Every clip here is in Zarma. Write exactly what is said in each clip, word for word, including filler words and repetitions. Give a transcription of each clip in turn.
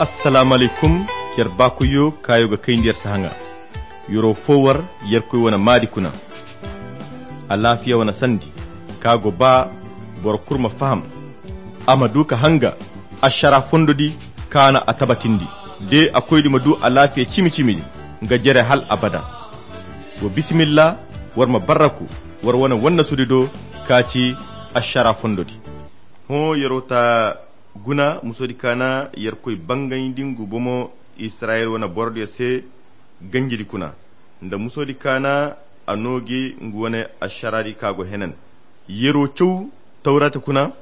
Assalaamu alaykum. Yer baakoyyo kaayo ga kayndi yer se haŋa. Yeroo foo war yerkoy wane maadi kuna. Alaafiya wane sandi ka go ba boro kul ma faham, a ma du ka hanga ašaraa fondo di kaana a tabatindi. De a koydi ma du alaafiya cimi-cimi di nga jere hal abada. Wa bisimilla, war ma barraku war wane wannasudi do ka ci ašaraa fondo di. Hõ yeroo ta guna musoodi kaana yerkoy bangayndi ngu bomo israyil wane borodiyo se ganjidi kuna, nda musoodi kaana a noo gi ngu wane ašaraadi ka go henan. Yeroo caw tawrata kuna,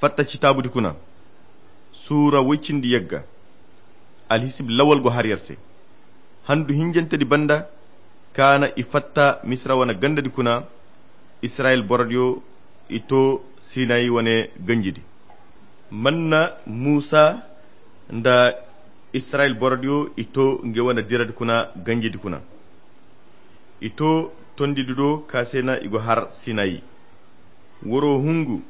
fatta citaabudi kuna, suura woy cindi yagga. Alhisib lawal go har yer se. Handu hinjantedi banda kaana i fatta misira wane gandadi kuna. Israyil borodiyo i too sinayi wane ganjidi. Manna muusa nda israyil borodiyo i too nge wane diradi kuna ganjidi kuna. I too tondidi do ka se na i go har sinayi. Waroo hungu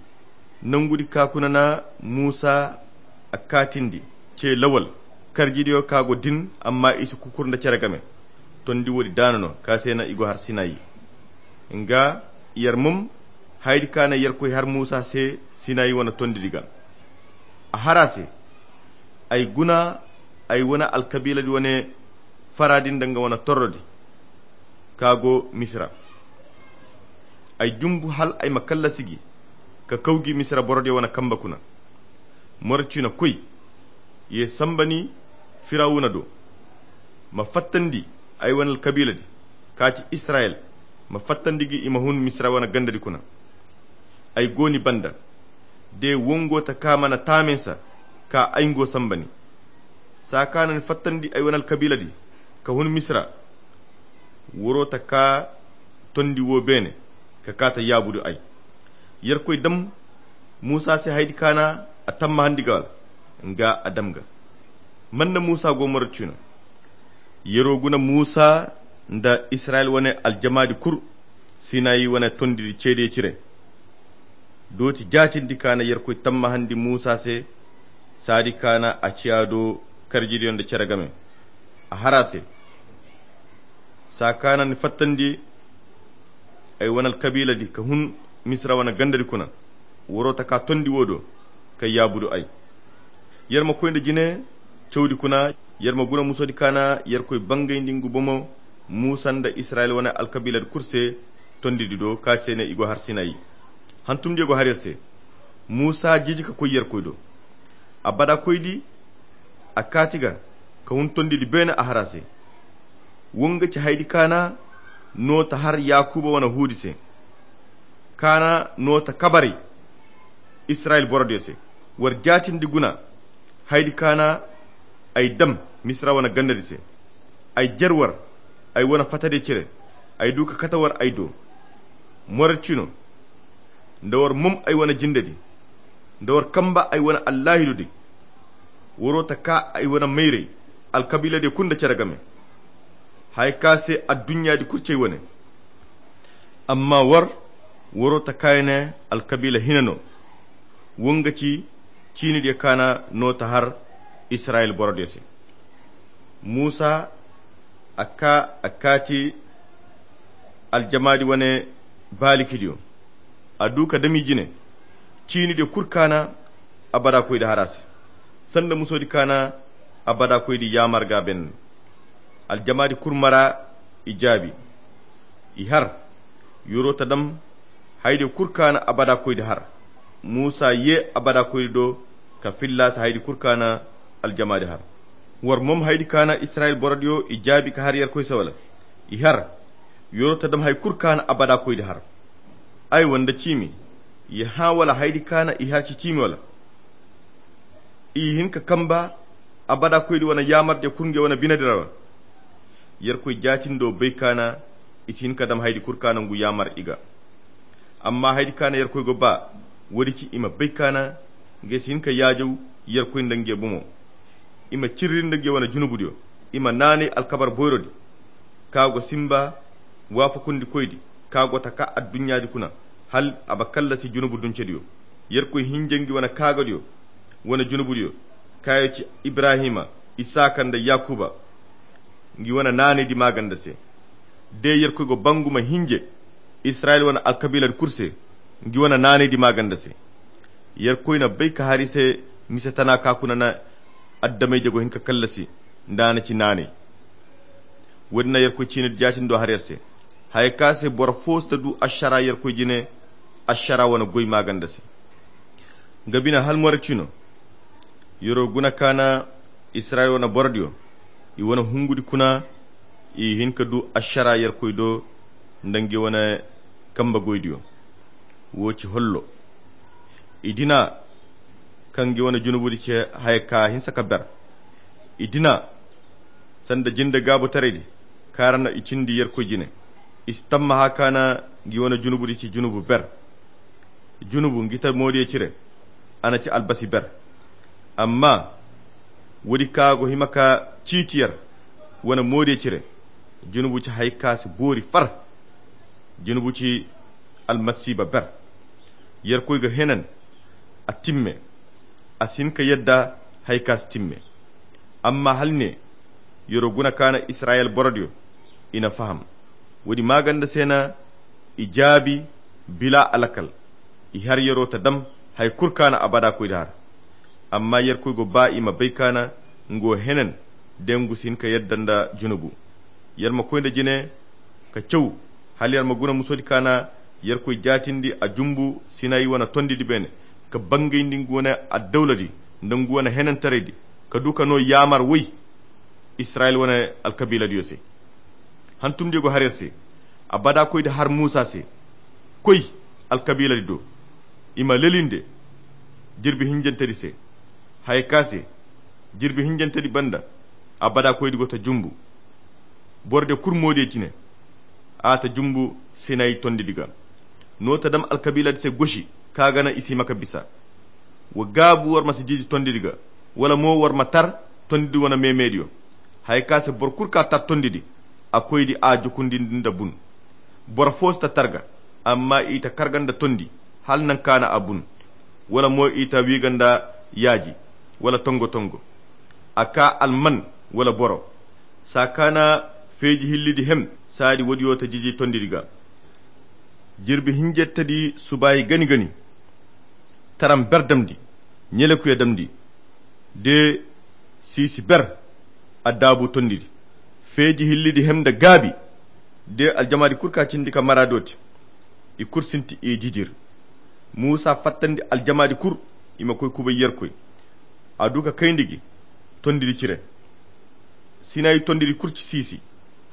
nangudi ka kuna na muusa a kaatindi ce lawal karjidiyo ka go din amma i si kukur nda cere game. Tondi woodi daana no ka se na i go har sinayi. Nga yer mom hayadi ka na yerkoy har muusa se sinayi wane tondidi ga. A har a se, ay guna ay wane alkabiiladi wane faraadi nda nga wane torrodi ka go misira. Ay jumbu hal ay ma kallasi gi ka kaw gi misira borodiyo wane kamba kuna. Morocino koy ye samba ni firawuna do, ma fattandi ay wane alkabiiladi ka ti israyil, ma fattandi gi i ma hun misira wane gandadi kuna. Ay go ni banda de wongo ta ka mana taaminsa ka ay ngo samba ni. Saa ka na ni fattandi ay wane alkabiiladi ka hun misira. Waroo ta ka tondi woo beene ka kaa ta yaabudu ay. Yerkoy dam muusa se hayadi ka na a tammahandi ga wala nga a dam ga. Manna muusa go morocino. Yeroo guna muusa nda israyil wane aljamaadi kul sinayi wane tondidi ceediyo cire. Dooti jaatindi ka na yerkoy tammahandi muusa se saadi ka na a ciya do karjidiyo nda cere game. A har a se, saa ka na ni fattandi ay wane alkabiiladi ka hun misira wane gandadi kuna. Waroo ta ka tondi woo do ka yaabudu ay. Yer ma koy nda jine cawdi kuna. Yer ma guna musoodi ka na yerkoy bangayndi ngu bomo muusa nda israyil wane alkabiiladi kul se tondidi do ka se ne i go har sinayi. Hantumdiyo go har yer se. Muusa jiji ka koy yerkoy do. Abada koydi a kaati ga ka hun tondidi beene a har a se. Wonga ci hayadi ka na noo ta har yaakuba wane huudi se. Ka na noo ta kabaray israyil borodiyo se. War jaatindi guna hayadi ka na ay dam misira wane gandadi se. Ay jer war ay wane fatadiyo cire. Ay du ka kate war ay do. Morocino nda war mom ay wane jindedi nda war kamba ay wane allaahidudi. Waroo ta ka ay wane mayray alkabiiladiyo kul nda cere game. Haya ka se adduɲɲaadi kul ci ay wane. Amma war waroo ta ka ay ne alkabiila hina no. Wonga ci ciinidiyo ka na noo ta har israyil borodiyo se. Muusa a ka a kaati aljamaadi wane baalikidiyo. A du ka dam i jine ciinidiyo kul ka na abada koydi har a se. Sanda musoodi ka na abada koydi yaamar ga beene. Aljamaadi kul mara i jaabi. I har yeroo ta dam hayadiyo kul ka na abada koydi har. Muusa yee abada koydi do ka fillaasi hayadi kul ka na aljamaadi har. War mom hayadi ka na israyil borodiyo i jaabi ka har yerkoy se wala? I har yeroo ta dam hay kul ka na abada koydi har. Aywa nda ciimi ye hã wala hayadi ka na i har ci ciimi wala? I hin ka kamba abada koydi wane yaamardiyo kul nge wane binedi ra wa? Yerkoy jaatindo bay ka na i si hin ka dam hayadi kul ka na ngu yaamar i ga. Amma hayadi ka na yerkoy go ba woodi ci i ma bay ka na nge si hin ka yaajaw yerkoy nda nge bomo. I ma cirri nda nge wane junubudiyo. I ma naanay alkabar boyrodi ka go simba waafakundikoydi ka go taka adduɲɲaadi kuna hal a ba kallasi junubu duncediyo. Yerkoy hinja ngi wane kaagadiyo wane junubudiyo. kaayo ci ibrahima, isaaka nda yakuba. Ngi wane naanaydi maaganda se. De yerkoy go ba ngu ma hinje israyil wane alkabiiladi kulu se. Ngi wane naanaydi maaganda se. Yerkoy na bay ka har i se mise tana ka kuna na adamey-jago hin ka kallasi nda a na ci naanay. Woodin na yerkoy ciinidi jaatindi do har yer se. Haya ka se boro fo si ta du ašara yerkoy jine ašara wane goy maaganda se. Nga bine hala moro cino yeroo guna ka na israyil wane borodiyo i wane hungudi kuna. I hin ka du ašara yerkoy do nda ngi wane kambe goydiyo. Wo ci hollo i dina kaŋ ngi wane junubudi ce haya ka hinsa ka ber. I dina sanda jinde gaabutaraydi kaŋ ra no i cindi yerkoy jine. I si tammaha ka na ngi wane junubudi ci junubu ber. Junubu ngi ta moodiyo cire a na ci albasi ber. Amma woodi ka go hima ka ciiti yer wane moodiyo cire. Junubu ci haya ka si boori far. Junubu ci almasiiba ber. Yerkoy ga henan a timme. A si hin ka yadda haya ka si timme. Amma hala ne yeroo guna ka na israyil borodiyo i na faham. Woodi maaganda se na i jaabi bila alakal. I har yeroo ta dam haya kulu ka na abada koydi har. Amma yerkoy go ba i ma bay ka na ngu wo henan de ngu si hin ka yadda nda junubu. Yer ma koy nda jine ka caw hala yer ma guna musoodi ka na yerkoy jaatindi a jumbu sinayi wane tondidi beene ka bangayndi ngu wane addawladi nda ngu wane henantaraydi ka du ka no yaamar woy israyil wane alkabiiladiyo se. Hantumdiyo go har yer se. Abada koydi har muusa se koy alkabiiladi do i ma lelinde jirbi hinjantedi se. Haya ka se jirbi hinjantedi banda abada koydi go ta jumbu. Borodiyo kulu moodiyo cine a ta jumbu sinayi tondidi ga. No ta dam alkabiiladi se gosi ka gana i si hima ka bisa. Wa gaabu war ma si jiji tondidi ga wala mo war ma tar tondidi wane meemeediyo. Haya ka se boro kulu ka tar tondidi a koydi a jukundindi nda bun. Boro fo si ta tar ga amma i ta karga nda tondi hala naŋ ka na a bun. Wala mo i ta wiiga nda yaaji wala tongo-tongo. A ka alman wala boro saa ka na feeji hillidi hem saadi woodiyo ta jiji tondidi ga. Jirbi hinjettedi subaayi gani-gani taram ber damndi ɲelekuya damndi de siisi ber. Addaabu tondidi feeji hillidi hem nda gaabi de aljamaadi kulu ka cindi ka mara dooti. I kulu sinti i jijir. Muusa fattandi aljamaadi kulu i ma koy kubay yerkoy. A du ka kayndi gi tondidi cire. Sinayi tondidi kulu ci siisi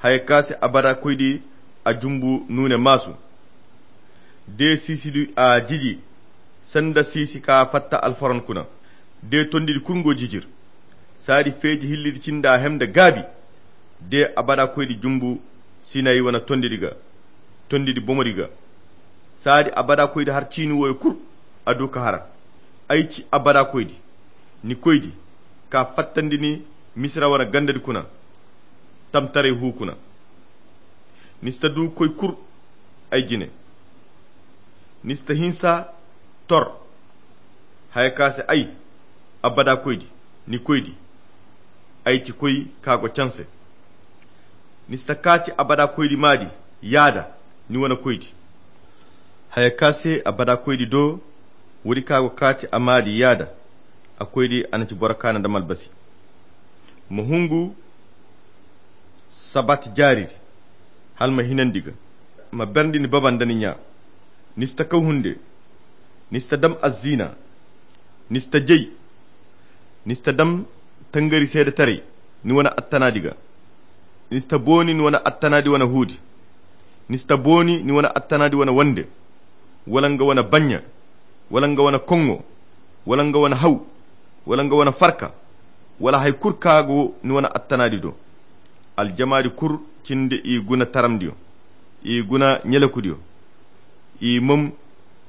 haya ka se abada koydi a jumbu nuune maasu. De siisidi a jiji sanda siisi ka fatta alfaron kuna. De tondidi kulu ngo jijir saadi feeji hillidi cinda hem nda gaabi. De abada koydi jumbu sinayi wane tondidi ga tondidi bomodi ga. Saadi abada koydi har ciini wooyo kulu a du ka har. Ay ci abada koydi ni koydi ka fattandi ni misira wane gandadi kuna. Tamtaray hu kuna ni si ta du koy kulu ay jine. Ni si ta hinsa tor haya ka se ay abada koydi ni koydi. Ay ci koy ka go canse. Ni si ta kaati abada koydi maadi yaada ni wane koydi. Haya ka se abada koydi do woodi ka go kaati a maadi yaada. A koydi a na ci boro kaana nda malbasi. Ma hungu sabat jaaridi hala ma hinandi ga. Ma berndi ni baba nda ni ɲa. Ni si ta kaw hunde. Ni si ta dam aziina. Ni si ta jay. Ni si ta dam tangari seedetaray ni wane attanaadi ga. Ni si ta booni ni wane attanaadi wane huudi. Ni si ta booni ni wane attanaadi wane wande wala nga wane baɲɲa wala nga wane koŋŋo wala nga wane haw wala nga wane farka wala hari kulu ka go ni wane attanaadi do. Aljamaadi kulu cindi i guna taramdiyo, i guna ɲelekudiyo, i mom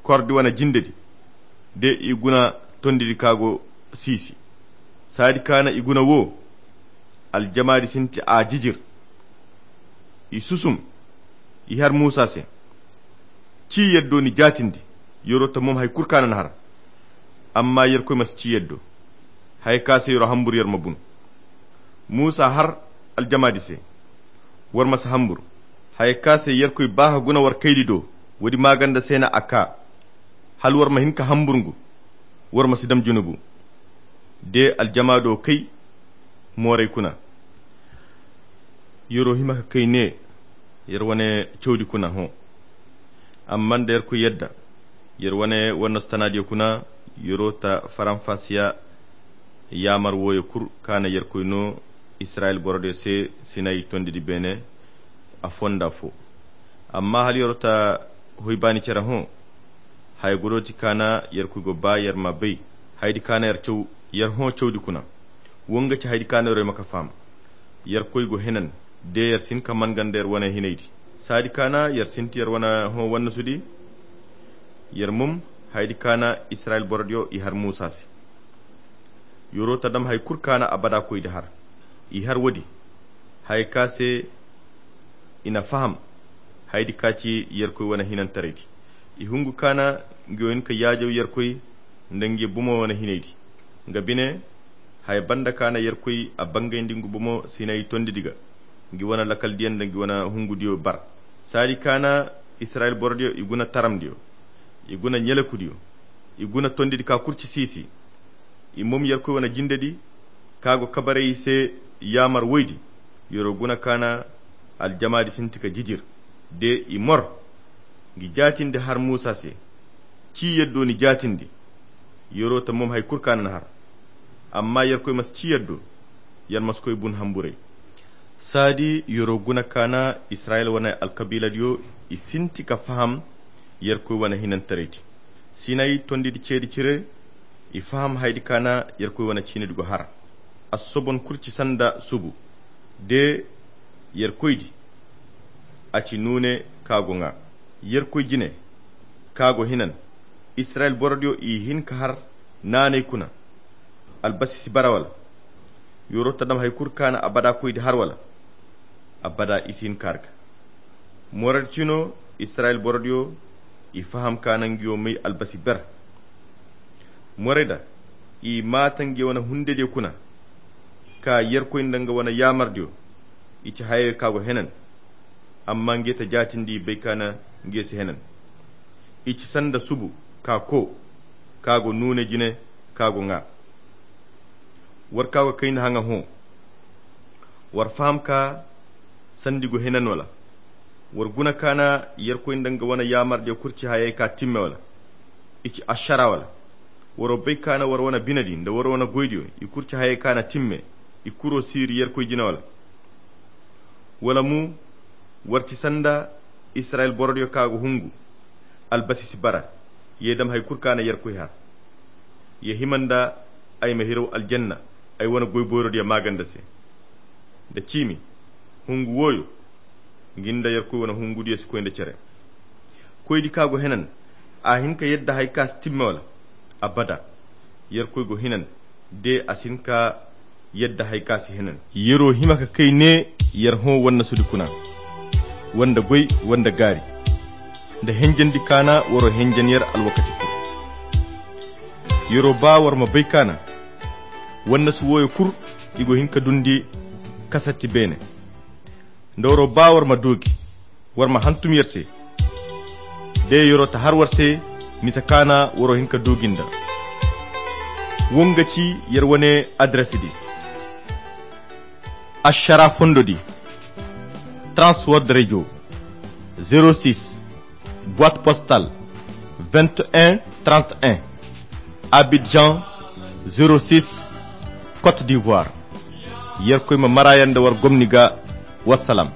kordi wane jindedi de i guna tondidi ka go siisi. Saadi ka na i guna wo aljamaadi sinti a jijir. I susum i har muusa se. Ci yaddo ni jaatindi. Yeroo ta mom hari kulu ka na ni har. Amma yerkoy ma si ci yaddo. Haya ka se yero hambur yer ma bun. Muusa har aljamaadi se, war ma si hambur. Haya ka se yerkoy baaha guna war kaydi do. Woodi maaganda se na a ka, hala war ma hin ka hambur ngu. War ma si dam junubu. De aljamaado kay mooray kuna. Yer'o hima ka kay ne, yer wane cawdi kuna hõ. Amma nda yerkoy yadda, yer wane wannasu tanaadiyo kuna. Yer'o ta faranfasiya yaamar wooyo kul kaana yerkoy no israyil borodiyo se sinayi tondidi beene, afo nda afo. Amma hala yer'o ta hoy baani cere hõ, haya godo ti kaana yerkoy go ba yer ma bay. Hayadi kaana yer hõ cawdi kuna. Wo nga ci hayadi kaana yer'o hima ka faham. Yerkoy go henan, de yer si hin ka man ganda yer wane hinaydi. Saadi kaana yer sinti yer wane hõ wannasudi. Yer mum, hayadi kaana israyil borodiyo i har muusa se. Yer'o ta dam hay kul kaana abada koydi har. I har woodi, haya ka se i na faham hayadi ka ci yerkoy wane hinantaraydi. I hungu kaana ngi wo hin ka yaajaw yerkoy nda ngi bomo wane hinaydi. Nga bine, haya banda kaana yerkoy a bangayndi ngu bomo sinayi tondidi ga. Ngi wane lakaldiyo nda ngi wane hungudiyo bar. Saadi kaana israyil borodiyo i guna taramdiyo, i guna ɲelakudiyo, i guna tondidi ka kul ci siisi. I mom yerkoy wane jindedi ka go kabaray i se yaamar woydi. Yer'o guna kaana aljamaadi sinti ka jijir, de i mor. Ngi jaatindi har muusa se, ci yaddo ni jaatindi. Yer'o ta mom hay kul kaana na har. Amma yerkoy ma si ci yaddo, yer ma si koy bun hamburay. Saadi yer'o guna kaana israyil wane alkabiiladiyo, i sinti ka faham yerkoy wane hinantaraydi. Sinayi tondidi ceedi cire, i faham hayadi kaana yerkoy wane ciinidi go har. Assobon kul ci sanda subu. De yerkoydi, a ci nuune ka go ŋaa. Yerkoy jine ka go hinan. Israyil borodiyo i hin ka har naanay kuna. Albasi si bara wala? Yer'o ta dam hay kul kaana abada koydi har wala? Abada i si hin ka har ga. Moradi cino israyil borodiyo, i faham kaana ngi wo may albasi ber. Morayda, i maata ngi wane hundediyo kuna, ka yerkoy nda nga wane yaamardiyo. I ci hayey ka go henan. Amma ngi ta jaatindi i bay kaana ngi si henan. I ci sanda subu ka ko, ka go nuune jine, ka go ŋaa. War ka go kayna haŋa hõ. War faham ka sandi go henan wala? War guna kaana yerkoy nda nga wane yaamardiyo kul ci hayey ka timme wala? I ci ašara wala? Waro bay kaana war wane binedi nda war wane goydiyo i kul ci hayey kaana timme. I kuro siiri yerkoy jine wala? Wala mu, war ci sanda israyil borodiyo ka go hungu. Albasi si bara. Ye dam hay kul kaana yerkoy har. Ye hima nda ay ma hiraw aljanna ay wane goy boyrodiyo maaganda se. Nda ciimi, hungu wooyo, ngi nda yerkoy wane hungudiyo si koy nda cere. Koydi ka go henan, a hin ka yadda hay ka si timme wala? Abada. Yerkoy go hinan, de a si hin ka yadda hay ka si henan. Yer'o hima ka kay ne, yer hõ wannasudi kuna, wanda goy, wanda gaari. Nda henjandi kaana war'o henjan yer alwakati kul. Yer'o ba war ma bay kaana wannasu wooyo kul, i go hin ka dundi kasatti beene. Nda war'o ba war ma duugi, war ma hantum yer se. De yer'o ta har war se, misa kaana war'o hin ka duugi nda. Wo nga ci yer wane adresidi. Ašara fondodi, Trans World Radio, zéro six, boîte postale vingt et un trente et un, Abidjan, zéro six, Côte d'Ivoire. Yerkoy ma mara yer nda war gomni ga. Wassalam.